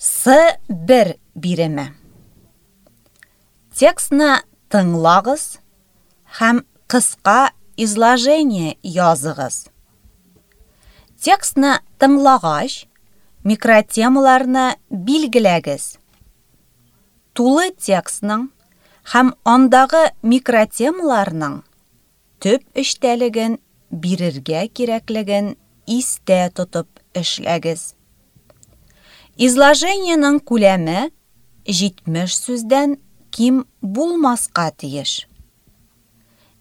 С1 биреме. Текстны тыңлагыз һәм кыска изложение языгыз. Текстны тыңлагач, микротемаларны билгеләгез. Тулы текстның һәм андагы микротемаларның төп эчтәлеген бирергә кирәклеген истә тотып эшләгез. Изложениенең күләме 70 сүздән ким булмаска тиеш.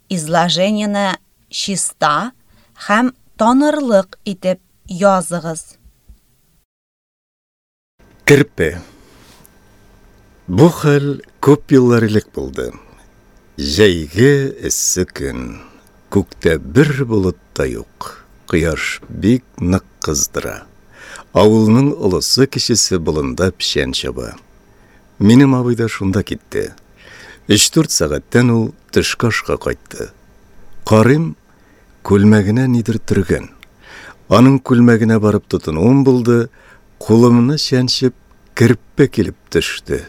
Изложениене чиста һәм танырлык итеп языгыз. Керпе. Бу хәл күп еллар элек булды. Җәйге эссе көн. Күктә бер болыт та юк. Кояш бик нык кыздыра. Авылның олысы-кечесе болында печән чаба. Минем абый да шунда китте. Өч-дүрт сәгатьтән ул төшке ашка кайтты. Карыйм, Күлмәгенә нидер төргән. Аның күлмәгенә барып тотынуым булды, кулымны чәнчеп, керпе килеп төште.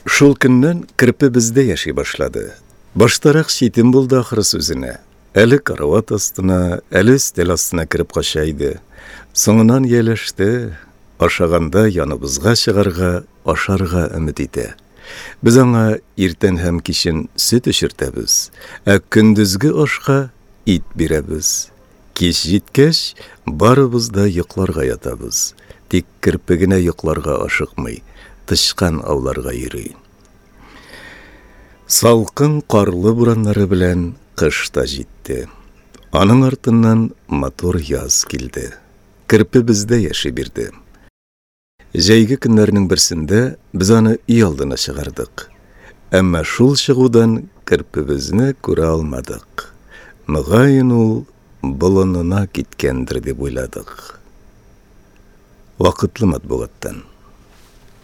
Шул көннән керпе бездә яши башлады. Баштарак читен булды ахрысы үзенә. Әле карават астына, әле өстәл астына кереп кача иде. Соңыннан ияләште, ашаганда яныбызга чыгарга, ашарга өмет итә. Без аңа иртән һәм кичен сөт эчертәбез, ә көндезге ашка ит бирәбез. Кич җиткәч, барыбыз да йокларга ятабыз. Тик керпе генә йокларга ашыкмый, тычкан ауларга йөри. Салкын карлы бураннары белән кыш та җитте. Аның артыннан матур яз килде. Керпе бездә яши бирде. Җәйге көннәрнең берсендә без аны өй алдына чыгардык. Әмма шул чыгудан керпебезне күрә алмадык. Мөгаен ул болынына киткәндер дип уйладык. Вакытлы матбугаттан.